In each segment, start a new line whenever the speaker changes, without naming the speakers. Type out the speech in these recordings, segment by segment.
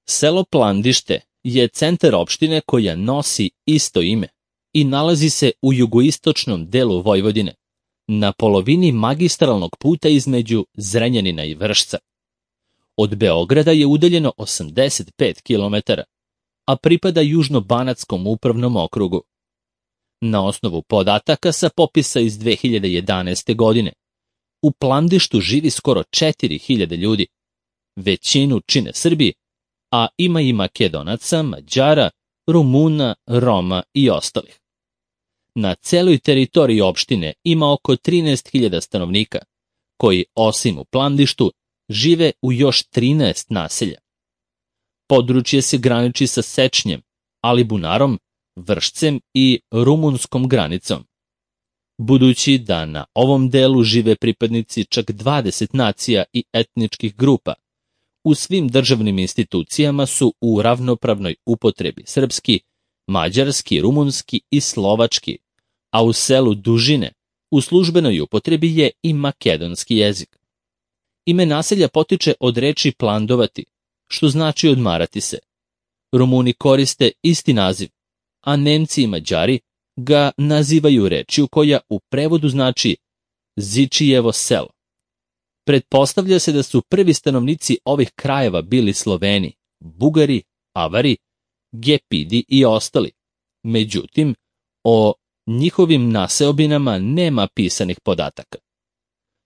Selo Plandište je centar opštine koja nosi isto ime i nalazi se u jugoistočnom delu Vojvodine, na polovini magistralnog puta između Zrenjanina i Vršca. Od Beograda je udaljeno 85 km, a pripada Južno-Banatskom upravnom okrugu. Na osnovu podataka sa popisa iz 2011. godine, u Plandištu živi skoro 4000 ljudi. Većinu čine Srbi, a ima i Makedonaca, Mađara, Rumuna, Roma i ostalih. Na celoj teritoriji opštine ima oko 13.000 stanovnika, koji osim u Plandištu žive u još 13 naselja. Područje se graniči sa Sečnjem, Alibunarom, Vršcem i rumunskom granicom. Budući da na ovom delu žive pripadnici čak 20 nacija i etničkih grupa, u svim državnim institucijama su u ravnopravnoj upotrebi srpski, mađarski, rumunski i slovački, a u selu Dužine u službenoj upotrebi je i makedonski jezik. Ime naselja potiče od reči plandovati, što znači odmarati se. Rumuni koriste isti naziv, a Nemci i Mađari ga nazivaju rečju koja u prevodu znači Zičijevo selo. Pretpostavlja se da su prvi stanovnici ovih krajeva bili Sloveni, Bugari, Avari, Gepidi i ostali. Međutim, o njihovim naseobinama nema pisanih podataka.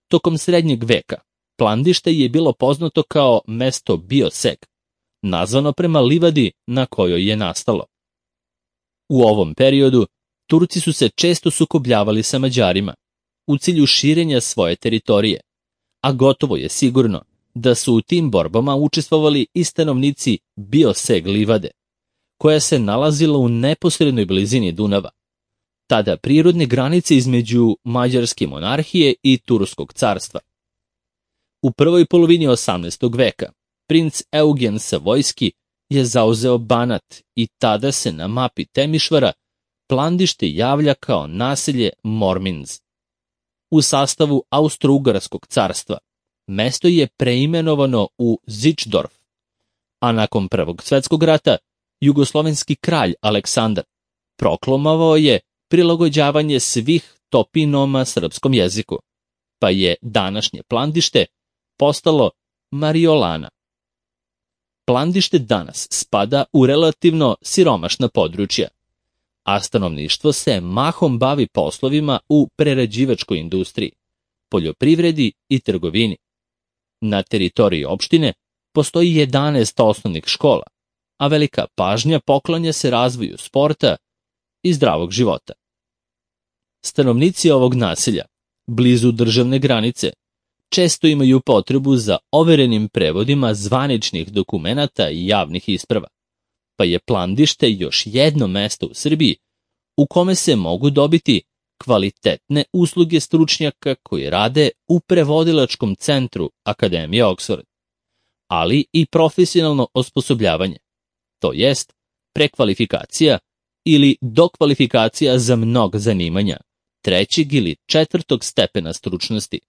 Tokom srednjeg veka Plandište je bilo poznato kao mesto Bioseg, nazvano prema livadi na kojoj je nastalo. U ovom periodu Turci su se često sukobljavali sa Mađarima u cilju širenja svoje teritorije, a gotovo je sigurno da su u tim borbama učestvovali i stanovnici Bioseg livade, koja se nalazila u neposrednoj blizini Dunava, tada prirodne granice između Mađarske monarhije i Turskog carstva. U prvoj polovini 18. veka princ Eugen Savojski je zauzeo Banat i tada se na mapi Temišvara Plandište javlja kao naselje Morminz. U sastavu Austro-Ugarskog carstva mesto je preimenovano u Zičdorf, a nakon Prvog svjetskog rata jugoslovenski kralj Aleksandar proklamovao je prilagođavanje svih topinoma srpskom jeziku, pa je današnje Plandište postalo Mariolana. Plandište danas spada u relativno siromašna područja, a stanovništvo se mahom bavi poslovima u prerađivačkoj industriji, poljoprivredi i trgovini. Na teritoriji opštine postoji 11 osnovnih škola, a velika pažnja poklanja se razvoju sporta i zdravog života. Stanovnici ovog naselja, blizu državne granice, često imaju potrebu za overenim prevodima zvaničnih dokumenata i javnih isprava, pa je Plandište još jedno mesto u Srbiji u kome se mogu dobiti kvalitetne usluge stručnjaka koji rade u prevodilačkom centru Akademije Oxford, ali i profesionalno osposobljavanje, to jest prekvalifikacija ili dokvalifikacija za mnoga zanimanja 3. ili 4. stepena stručnosti,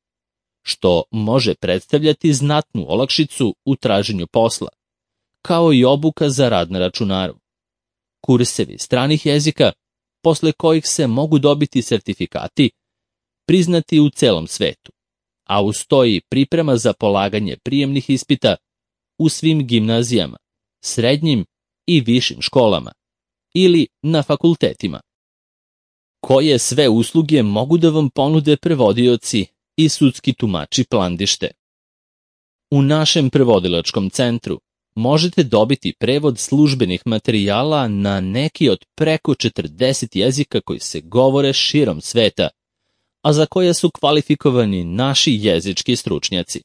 što može predstavljati znatnu olakšicu u traženju posla, kao i obuka za rad na računaru. Kursevi stranih jezika, posle kojih se mogu dobiti sertifikati, priznati u celom svetu, a uz to i priprema za polaganje prijemnih ispita u svim gimnazijama, srednjim i višim školama ili na fakultetima. Koje sve usluge mogu da vam ponude prevodioci i sudski tumači Plandište? U našem prevodilačkom centru možete dobiti prevod službenih materijala na neki od preko 40 jezika koji se govore širom sveta, a za koje su kvalifikovani naši jezički stručnjaci.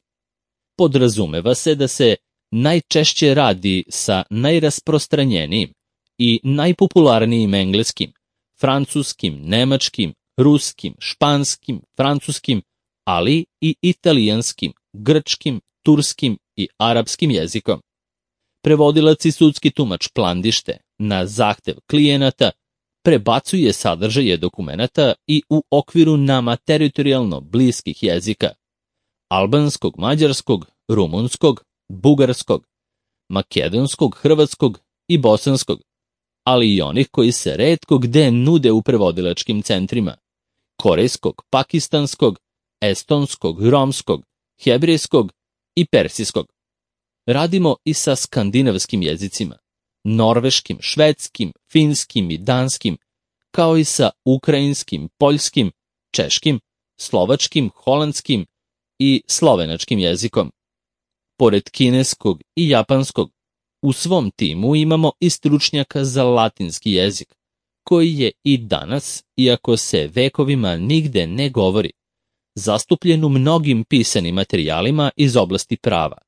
Podrazumeva se da se najčešće radi sa najrasprostranjenijim i najpopularnijim engleskim, francuskim, nemačkim, ruskim, španskim, francuskim, ali i italijanskim, grčkim, turskim i arapskim jezikom. Prevodilac i sudski tumač Plandište na zahtev klijenata prebacuje sadržaje dokumenata i u okviru nama teritorijalno bliskih jezika: albanskog, mađarskog, rumunskog, bugarskog, makedonskog, hrvatskog i bosanskog, ali i onih koji se retko gde nude u prevodilačkim centrima, korejskog, pakistanskog, estonskog, romskog, hebrejskog i persijskog. Radimo i sa skandinavskim jezicima, norveškim, švedskim, finskim i danskim, kao i sa ukrajinskim, poljskim, češkim, slovačkim, holandskim i slovenačkim jezikom. Pored kineskog i japanskog, u svom timu imamo i stručnjaka za latinski jezik, koji je i danas, iako se vekovima nigde ne govori, zastupljen u mnogim pisanim materijalima iz oblasti prava,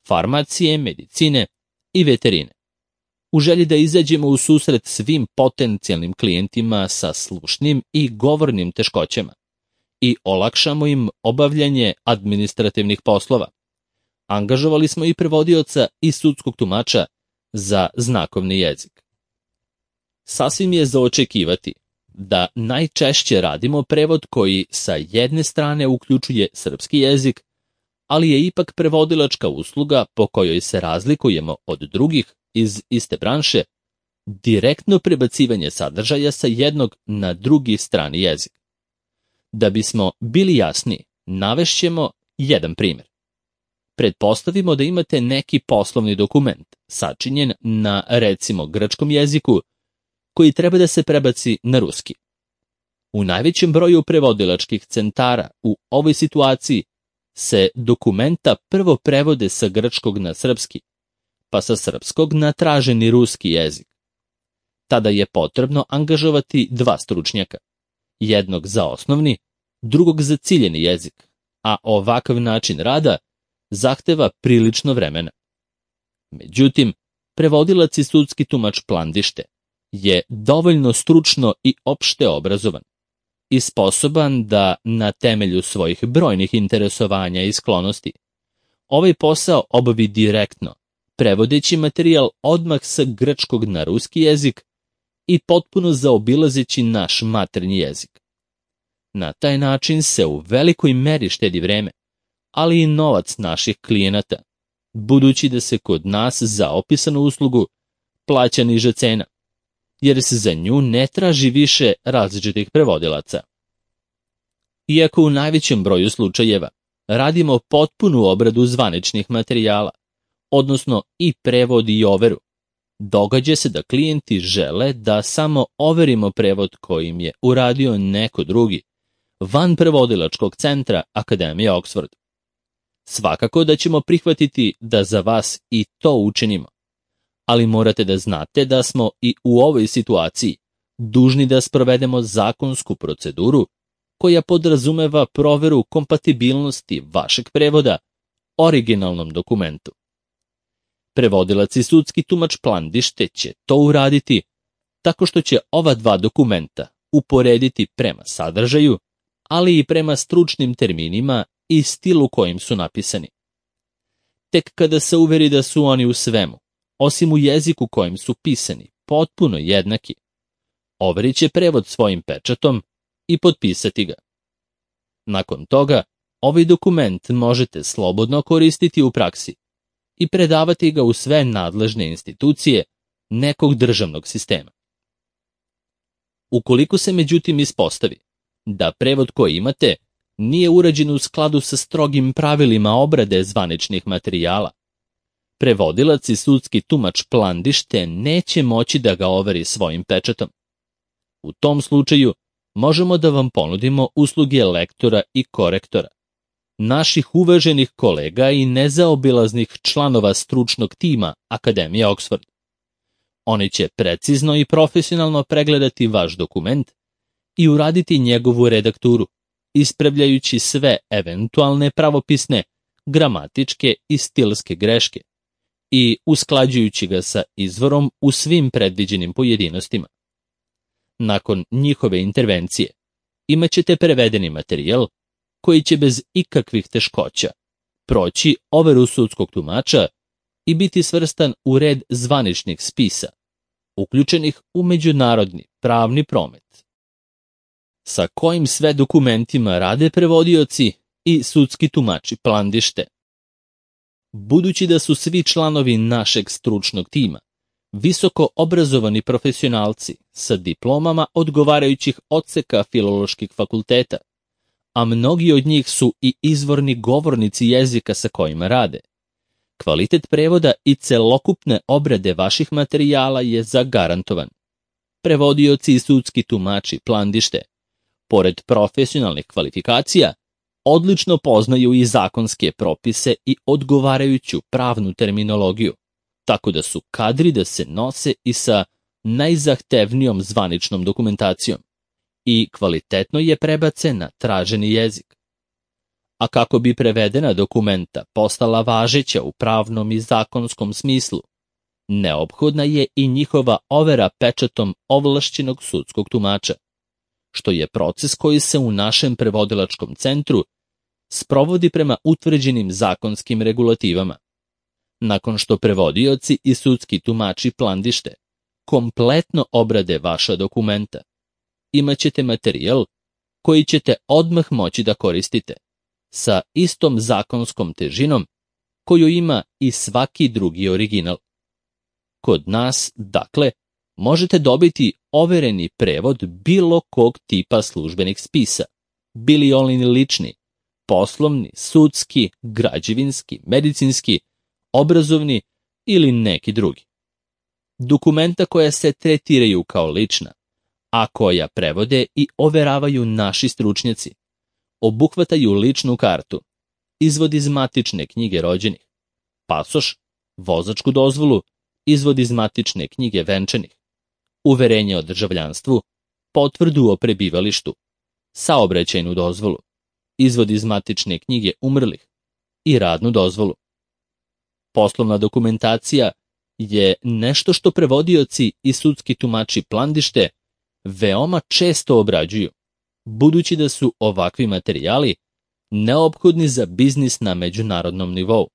farmacije, medicine i veterine. U želji da izađemo u susret svim potencijalnim klijentima sa slušnim i govornim teškoćama i olakšamo im obavljanje administrativnih poslova, angažovali smo i prevodioca i sudskog tumača za znakovni jezik. Sasvim je za očekivati da najčešće radimo prevod koji sa jedne strane uključuje srpski jezik, ali je ipak prevodilačka usluga po kojoj se razlikujemo od drugih iz iste branše, direktno prebacivanje sadržaja sa jednog na drugi strani jezik. Da bismo bili jasni, navešćemo jedan primjer. Pretpostavimo da imate neki poslovni dokument, sačinjen na, recimo, grčkom jeziku, koji treba da se prebaci na ruski. U najvećem broju prevodilačkih centara u ovoj situaciji se dokumenta prvo prevode sa grčkog na srpski, pa sa srpskog na traženi ruski jezik. Tada je potrebno angažovati dva stručnjaka, jednog za osnovni, drugog za ciljeni jezik, a ovakav način rada zahteva prilično vremena. Međutim, prevodilac i sudski tumač Plandište je dovoljno stručno i opšte obrazovan i sposoban da na temelju svojih brojnih interesovanja i sklonosti ovaj posao obavi direktno, prevodeći materijal odmah sa grčkog na ruski jezik i potpuno zaobilazeći naš maternji jezik. Na taj način se u velikoj meri štedi vreme, ali i novac naših klijenata, budući da se kod nas za opisanu uslugu plaća niža cena, jer se za nju ne traži više različitih prevodilaca. Iako u najvećem broju slučajeva radimo potpunu obradu zvaničnih materijala, odnosno i prevod i overu, događa se da klijenti žele da samo overimo prevod kojim je uradio neko drugi, van prevodilačkog centra Akademije Oxford. Svakako da ćemo prihvatiti da za vas i to učinimo, ali morate da znate da smo i u ovoj situaciji dužni da sprovedemo zakonsku proceduru koja podrazumeva proveru kompatibilnosti vašeg prevoda originalnom dokumentu. Prevodilac i sudski tumač Plandište će to uraditi tako što će ova dva dokumenta uporediti prema sadržaju, ali i prema stručnim terminima i stilu kojim su napisani. Tek kada se uveri da su oni u svemu, osim u jeziku kojim su pisani, potpuno jednaki, overit će prevod svojim pečatom i potpisati ga. Nakon toga, ovaj dokument možete slobodno koristiti u praksi i predavati ga u sve nadležne institucije nekog državnog sistema. Ukoliko se međutim ispostavi da prevod koji imate nije urađen u skladu sa strogim pravilima obrade zvaničnih materijala, prevodilac i sudski tumač Plandište neće moći da ga overi svojim pečatom. U tom slučaju možemo da vam ponudimo usluge lektora i korektora, naših uvaženih kolega i nezaobilaznih članova stručnog tima Akademije Oxford. Oni će precizno i profesionalno pregledati vaš dokument i uraditi njegovu redakturu, ispravljajući sve eventualne pravopisne, gramatičke i stilske greške i usklađujući ga sa izvorom u svim predviđenim pojedinostima. Nakon njihove intervencije imaćete prevedeni materijal koji će bez ikakvih teškoća proći overu sudskog tumača i biti svrstan u red zvaničnih spisa, uključenih u međunarodni pravni promet. Sa kojim sve dokumentima rade prevodioci i sudski tumači Plandište? Budući da su svi članovi našeg stručnog tima visoko obrazovani profesionalci sa diplomama odgovarajućih odseka filoloških fakulteta, a mnogi od njih su i izvorni govornici jezika sa kojima rade, kvalitet prevoda i celokupne obrade vaših materijala je zagarantovan. Prevodioci i sudski tumači Plandište, pored profesionalnih kvalifikacija, odlično poznaju i zakonske propise i odgovarajuću pravnu terminologiju, tako da su kadri da se nose i sa najzahtevnijom zvaničnom dokumentacijom i kvalitetno je prebace na traženi jezik. A kako bi prevedena dokumenta postala važeća u pravnom i zakonskom smislu, neophodna je i njihova overa pečatom ovlašćenog sudskog tumača, što je proces koji se u našem prevodilačkom centru sprovodi prema utvrđenim zakonskim regulativama. Nakon što prevodioci i sudski tumači Plandište kompletno obrade vaša dokumenta, imaćete materijal koji ćete odmah moći da koristite, sa istom zakonskom težinom koju ima i svaki drugi original. Kod nas, dakle, možete dobiti overeni prevod bilo kog tipa službenih spisa, bili oni lični, poslovni, sudski, građevinski, medicinski, obrazovni ili neki drugi. Dokumenta koja se tretiraju kao lična, a koja prevode i overavaju naši stručnjaci, obuhvataju ličnu kartu, izvod iz matične knjige rođenih, pasoš, vozačku dozvolu, izvod iz matične knjige venčanih, uverenje o državljanstvu, potvrdu o prebivalištu, saobraćajnu dozvolu, izvod iz matične knjige umrlih i radnu dozvolu. Poslovna dokumentacija je nešto što prevodioci i sudski tumači Plandište veoma često obrađuju, budući da su ovakvi materijali neophodni za biznis na međunarodnom nivou.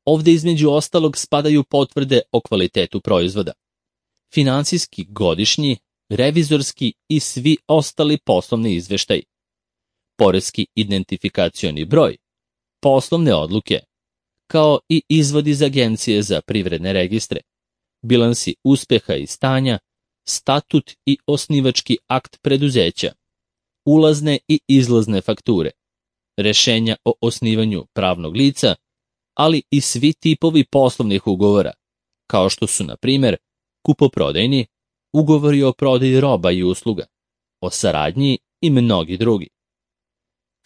Ovde između ostalog spadaju potvrde o kvalitetu proizvoda, finansijski godišnji, revizorski i svi ostali poslovni izveštaji, poreski identifikacioni broj, poslovne odluke, kao i izvod iz Agencije za privredne registre, bilansi uspeha i stanja, statut i osnivački akt preduzeća, ulazne i izlazne fakture, rešenja o osnivanju pravnog lica, ali i svi tipovi poslovnih ugovora, kao što su, na primjer, kupoprodajni, ugovori o prodaji roba i usluga, o saradnji i mnogi drugi.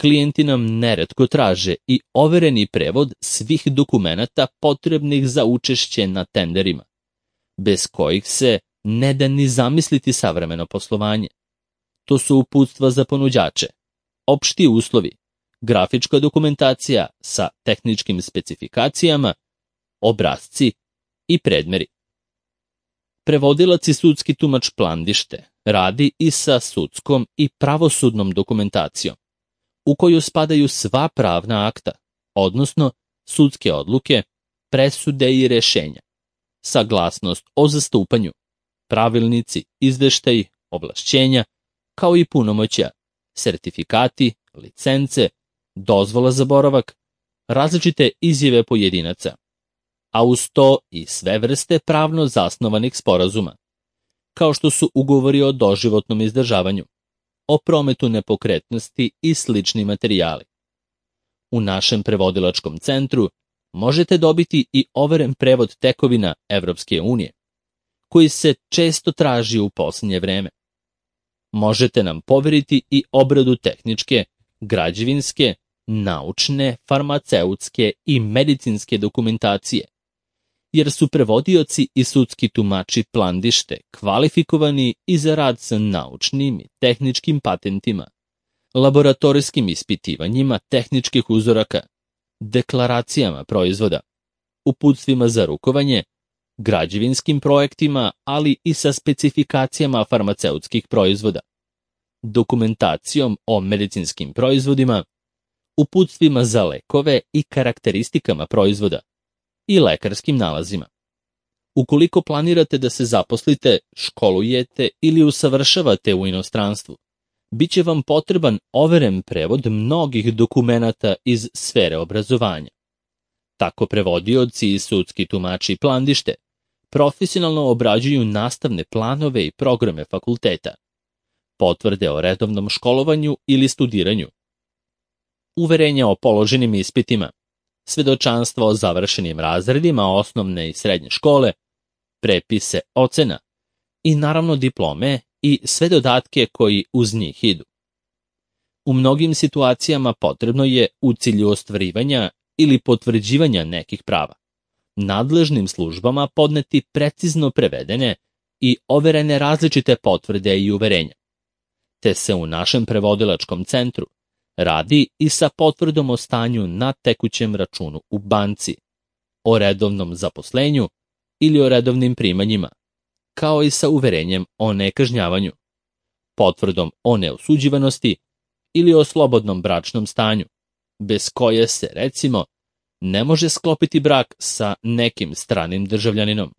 Klijenti nam neretko traže i overeni prevod svih dokumenata potrebnih za učešće na tenderima, bez kojih se ne da ni zamisliti savremeno poslovanje. To su uputstva za ponuđače, opšti uslovi, grafička dokumentacija sa tehničkim specifikacijama, obrasci i predmeri. Prevodilac i sudski tumač Plandište radi i sa sudskom i pravosudnom dokumentacijom, u koju spadaju sva pravna akta, odnosno sudske odluke, presude i rešenja, saglasnost o zastupanju, pravilnici, izveštaji, ovlašćenja, kao i punomoćja, sertifikati, licence, dozvola za boravak, različite izjave pojedinaca, a uz to i sve vrste pravno zasnovanih sporazuma, kao što su ugovori o doživotnom izdržavanju, o prometu nepokretnosti i slični materijali. U našem prevodilačkom centru možete dobiti i overen prevod tekovina Evropske unije, koji se često traži u posljednje vreme. Možete nam poveriti i obradu tehničke, građevinske, naučne, farmaceutske i medicinske dokumentacije, jer su prevodioci i sudski tumači Plandište kvalifikovani i za rad sa naučnim i tehničkim patentima, laboratorijskim ispitivanjima tehničkih uzoraka, deklaracijama proizvoda, uputstvima za rukovanje, građevinskim projektima, ali i sa specifikacijama farmaceutskih proizvoda, dokumentacijom o medicinskim proizvodima, uputstvima za lekove i karakteristikama proizvoda i lekarskim nalazima. Ukoliko planirate da se zaposlite, školujete ili usavršavate u inostranstvu, bit će vam potreban overen prevod mnogih dokumenata iz sfere obrazovanja. Tako prevodioci i sudski tumači plandište profesionalno obrađuju nastavne planove i programe fakulteta, potvrde o redovnom školovanju ili studiranju, uverenja o položenim ispitima, svedočanstva o završenim razredima osnovne i srednje škole, prepise ocena i naravno diplome i sve dodatke koji uz njih idu. U mnogim situacijama potrebno je u cilju ostvarivanja ili potvrđivanja nekih prava nadležnim službama podneti precizno prevedene i overene različite potvrde i uverenja. Te se u našem prevodilačkom centru radi i sa potvrdom o stanju na tekućem računu u banci, o redovnom zaposlenju ili o redovnim primanjima, kao i sa uverenjem o nekažnjavanju, potvrdom o neosuđivanosti ili o slobodnom bračnom stanju, bez koje se, recimo, ne može sklopiti brak sa nekim stranim državljaninom.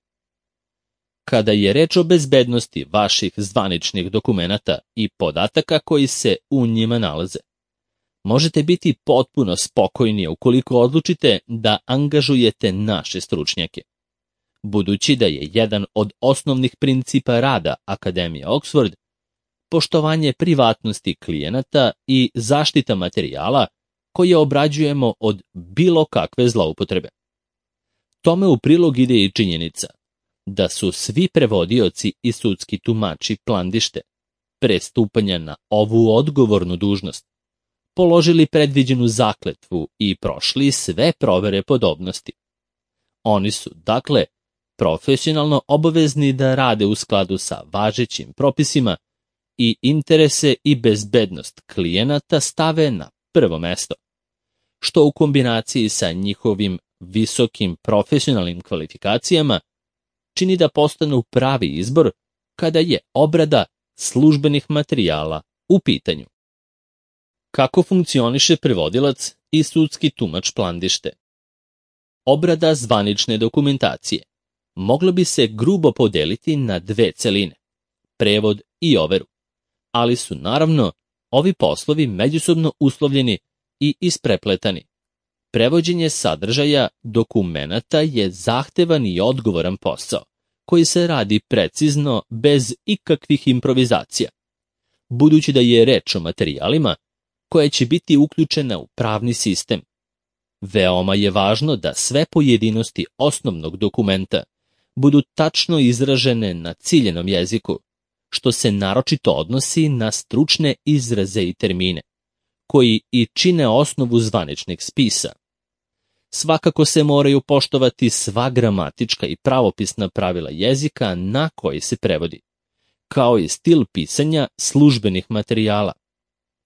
Kada je reč o bezbednosti vaših zvaničnih dokumenata i podataka koji se u njima nalaze, možete biti potpuno spokojni ukoliko odlučite da angažujete naše stručnjake. Budući da je jedan od osnovnih principa rada Akademije Oxford poštovanje privatnosti klijenata i zaštita materijala koje obrađujemo od bilo kakve zloupotrebe. Tome u prilog ide i činjenica da su svi prevodioci i sudski tumači plandište pre stupanja na ovu odgovornu dužnost položili predviđenu zakletvu i prošli sve provere podobnosti. Oni su, dakle, profesionalno obavezni da rade u skladu sa važećim propisima i interese i bezbednost klijenata stave na prvo mesto, što u kombinaciji sa njihovim visokim profesionalnim kvalifikacijama čini da postanu pravi izbor kada je obrada službenih materijala u pitanju. Kako funkcioniše prevodilac i sudski tumač plandište? Obrada zvanične dokumentacije mogla bi se grubo podeliti na dve celine, prevod i overu, ali su naravno ovi poslovi međusobno uslovljeni i isprepletani. Prevođenje sadržaja dokumenata je zahtevan i odgovoran posao, koji se radi precizno bez ikakvih improvizacija. Budući da je reč o materijalima koje će biti uključene u pravni sistem, veoma je važno da sve pojedinosti osnovnog dokumenta budu tačno izražene na ciljenom jeziku, što se naročito odnosi na stručne izraze i termine, koji i čine osnovu zvaničnih spisa. Svakako se moraju poštovati sva gramatička i pravopisna pravila jezika na koji se prevodi, kao i stil pisanja službenih materijala.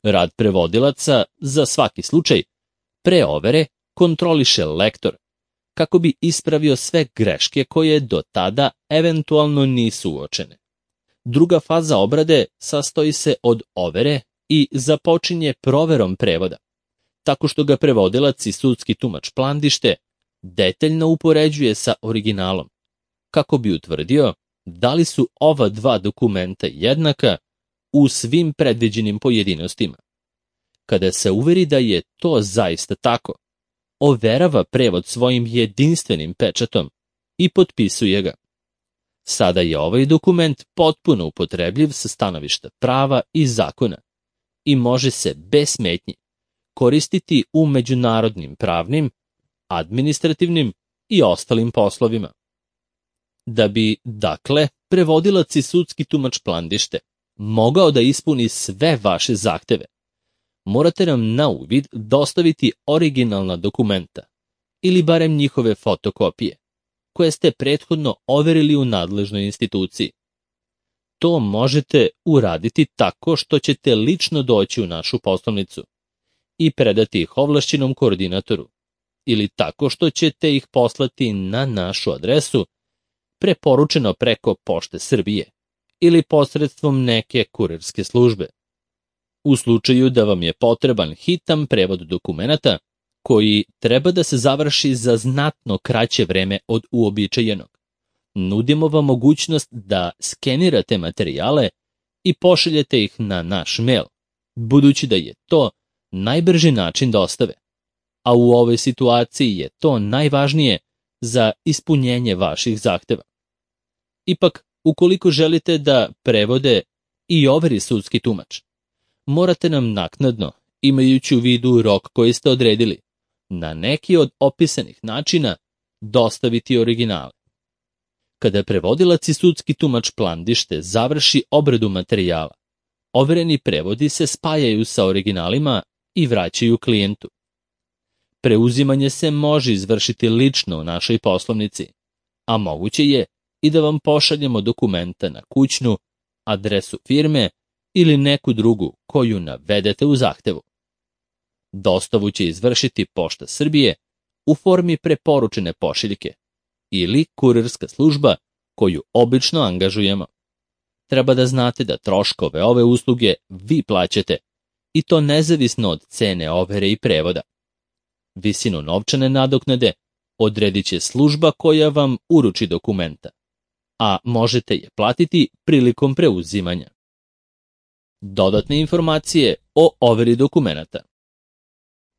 Rad prevodilaca, za svaki slučaj, pre overe kontroliše lektor, kako bi ispravio sve greške koje do tada eventualno nisu uočene. Druga faza obrade sastoji se od overe i započinje proverom prevoda, tako što ga prevodilac i sudski tumač plandište detaljno upoređuje sa originalom, kako bi utvrdio da li su ova dva dokumenta jednaka u svim predviđenim pojedinostima. Kada se uveri da je to zaista tako, overava prevod svojim jedinstvenim pečatom i potpisuje ga. Sada je ovaj dokument potpuno upotrebljiv sa stanovišta prava i zakona i može se bez smetnji koristiti u međunarodnim pravnim, administrativnim i ostalim poslovima. Da bi, dakle, prevodilac i sudski tumač plandište mogao da ispuni sve vaše zahteve, morate nam na uvid dostaviti originalna dokumenta ili barem njihove fotokopije, koje ste prethodno overili u nadležnoj instituciji. To možete uraditi tako što ćete lično doći u našu poslovnicu i predati ih ovlašćenom koordinatoru, ili tako što ćete ih poslati na našu adresu preporučeno preko Pošte Srbije ili posredstvom neke kurirske službe. U slučaju da vam je potreban hitan prevod dokumenata koji treba da se završi za znatno kraće vreme od uobičajenog, nudimo vam mogućnost da skenirate materijale i pošaljete ih na naš mail, budući da je to najbrži način dostave. a u ovoj situaciji je to najvažnije za ispunjenje vaših zahteva. Ipak, ukoliko želite da prevode i overi sudski tumač, morate nam naknadno, imajući u vidu rok koji ste odredili, na neki od opisanih načina dostaviti originale. Kada prevodilac i sudski tumač Plandište završi obradu materijala, overeni prevodi se spajaju sa originalima i vraćaju klijentu. Preuzimanje se može izvršiti lično u našoj poslovnici, a moguće je i da vam pošaljemo dokumenta na kućnu, adresu firme ili neku drugu koju navedete u zahtevu. Dostavu će izvršiti Pošta Srbije u formi preporučene pošiljke ili kurirska služba koju obično angažujemo. Treba da znate da troškove ove usluge vi plaćate i to nezavisno od cene overe i prevoda. Visinu novčane nadoknade odredit će služba koja vam uruči dokumenta, a možete je platiti prilikom preuzimanja. Dodatne informacije o overi dokumenata.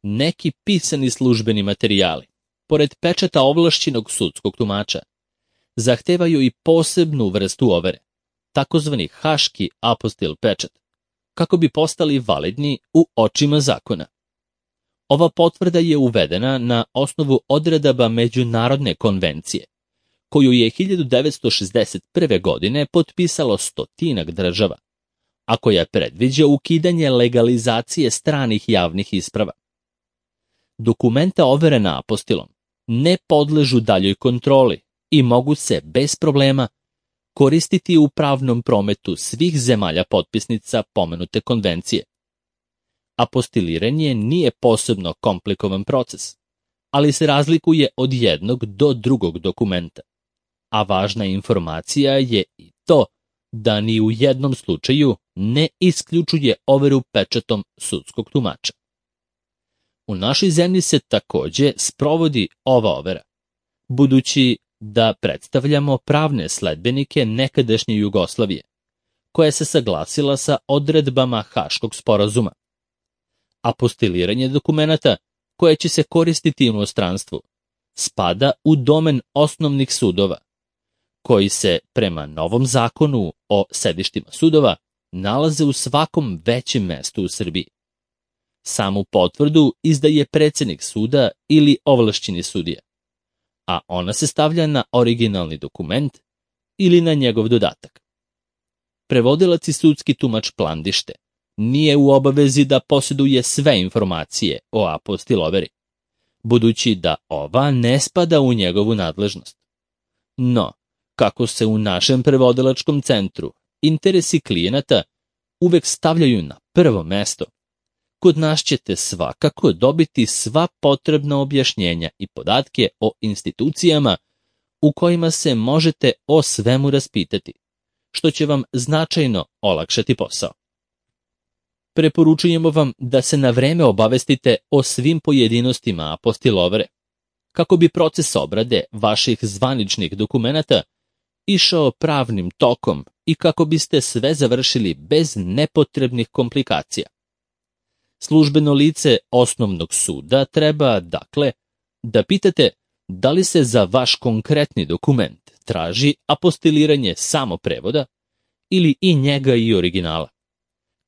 Neki pisani službeni materijali, pored pečata ovlašćenog sudskog tumača, zahtevaju i posebnu vrstu overe, takozvani haški apostil pečat, kako bi postali validni u očima zakona. Ova potvrda je uvedena na osnovu odredaba Međunarodne konvencije, koju je 1961. godine potpisalo 100 država, a koja predviđa ukidanje legalizacije stranih javnih isprava. Dokumenta overena apostilom ne podležu daljoj kontroli i mogu se bez problema koristiti u pravnom prometu svih zemalja potpisnica pomenute konvencije. Apostiliranje nije posebno komplikovan proces, ali se razlikuje od jednog do drugog dokumenta, a važna informacija je i to da ni u jednom slučaju ne isključuje overu pečatom sudskog tumača. U našoj zemlji se takođe sprovodi ova overa, budući da predstavljamo pravne sledbenike nekadašnje Jugoslavije, koja se saglasila sa odredbama Haškog sporazuma. Apostiliranje dokumenata koje će se koristiti u inostranstvu spada u domen osnovnih sudova, koji se prema novom zakonu o sedištima sudova nalaze u svakom većem mestu u Srbiji. Samu potvrdu izdaje predsednik suda ili ovlašćeni sudija, a ona se stavlja na originalni dokument ili na njegov dodatak. Prevodilac i sudski tumač Plandište nije u obavezi da posjeduje sve informacije o apostil overi, budući da ova ne spada u njegovu nadležnost. No, kako se u našem prevodilačkom centru interesi klijenata uvek stavljaju na prvo mesto, kod nas ćete svakako dobiti sva potrebna objašnjenja i podatke o institucijama u kojima se možete o svemu raspitati, što će vam značajno olakšati posao. Preporučujemo vam da se na vreme obavestite o svim pojedinostima apostil overe, kako bi proces obrade vaših zvaničnih dokumenata išao pravnim tokom i kako biste sve završili bez nepotrebnih komplikacija. Službeno lice osnovnog suda treba, dakle, da pitate da li se za vaš konkretni dokument traži apostiliranje samo prevoda ili i njega i originala,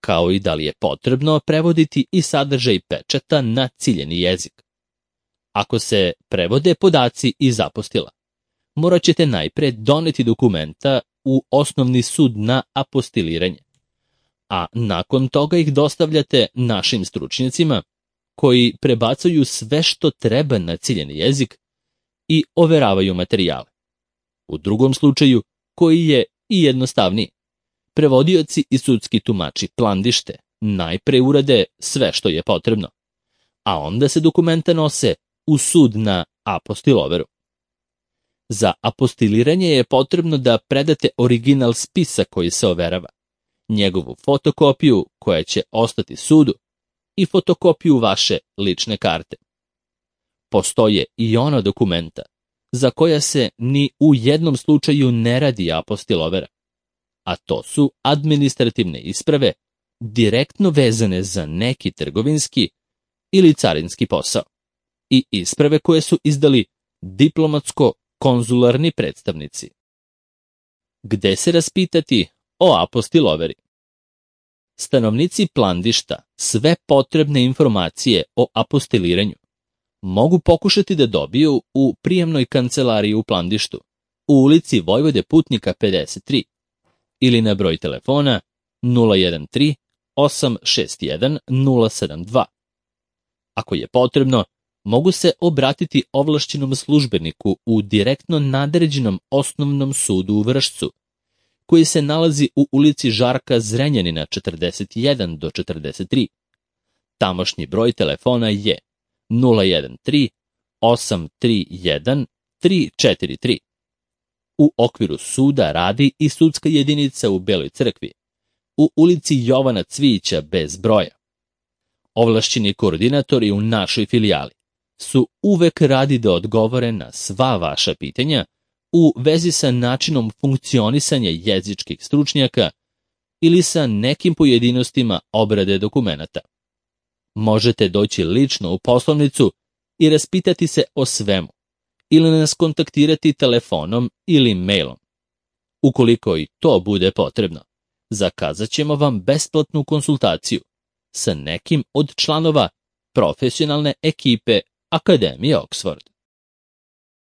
kao i da li je potrebno prevoditi i sadržaj pečata na ciljeni jezik. Ako se prevode podaci iz apostila, morat ćete najpre doneti dokumenta u osnovni sud na apostiliranje, a nakon toga ih dostavljate našim stručnjacima koji prebacuju sve što treba na ciljeni jezik i overavaju materijale. U drugom slučaju, koji je i jednostavniji, prevodioci i sudski tumači Plandište najpre urade sve što je potrebno, a onda se dokumenta nose u sud na apostil overu. Za apostiliranje je potrebno da predate original spisa koji se overava, njegovu fotokopiju koja će ostati sudu i fotokopiju vaše lične karte. Postoje i ona dokumenta za koja se ni u jednom slučaju ne radi apostil overa, a to su administrativne isprave direktno vezane za neki trgovinski ili carinski posao. i isprave koje su izdali diplomatsko-konzularni predstavnici. Gde se raspitati o apostiloveri? Stanovnici Plandišta sve potrebne informacije o apostiliranju mogu pokušati da dobiju u prijemnoj kancelariji u Plandištu, u ulici Vojvode Putnika 53 ili na broj telefona 013 861 072. Ako je potrebno, mogu se obratiti ovlašćenom službeniku u direktno nadređenom osnovnom sudu u Vršcu, koji se nalazi u ulici Žarka Zrenjanina 41 do 43. Tamošnji broj telefona je 013 831 343. U okviru suda radi i sudska jedinica u Beloj Crkvi, u ulici Jovana Cvijića bez broja. Ovlašćeni koordinatori u našoj filijali su uvek radi da odgovore na sva vaša pitanja u vezi sa načinom funkcionisanja jezičkih stručnjaka ili sa nekim pojedinostima obrade dokumenata. Možete doći lično u poslovnicu i raspitati se o svemu, ili nas kontaktirati telefonom ili mailom. Ukoliko i to bude potrebno, zakazat ćemo vam besplatnu konsultaciju sa nekim od članova profesionalne ekipe Akademije Oxford.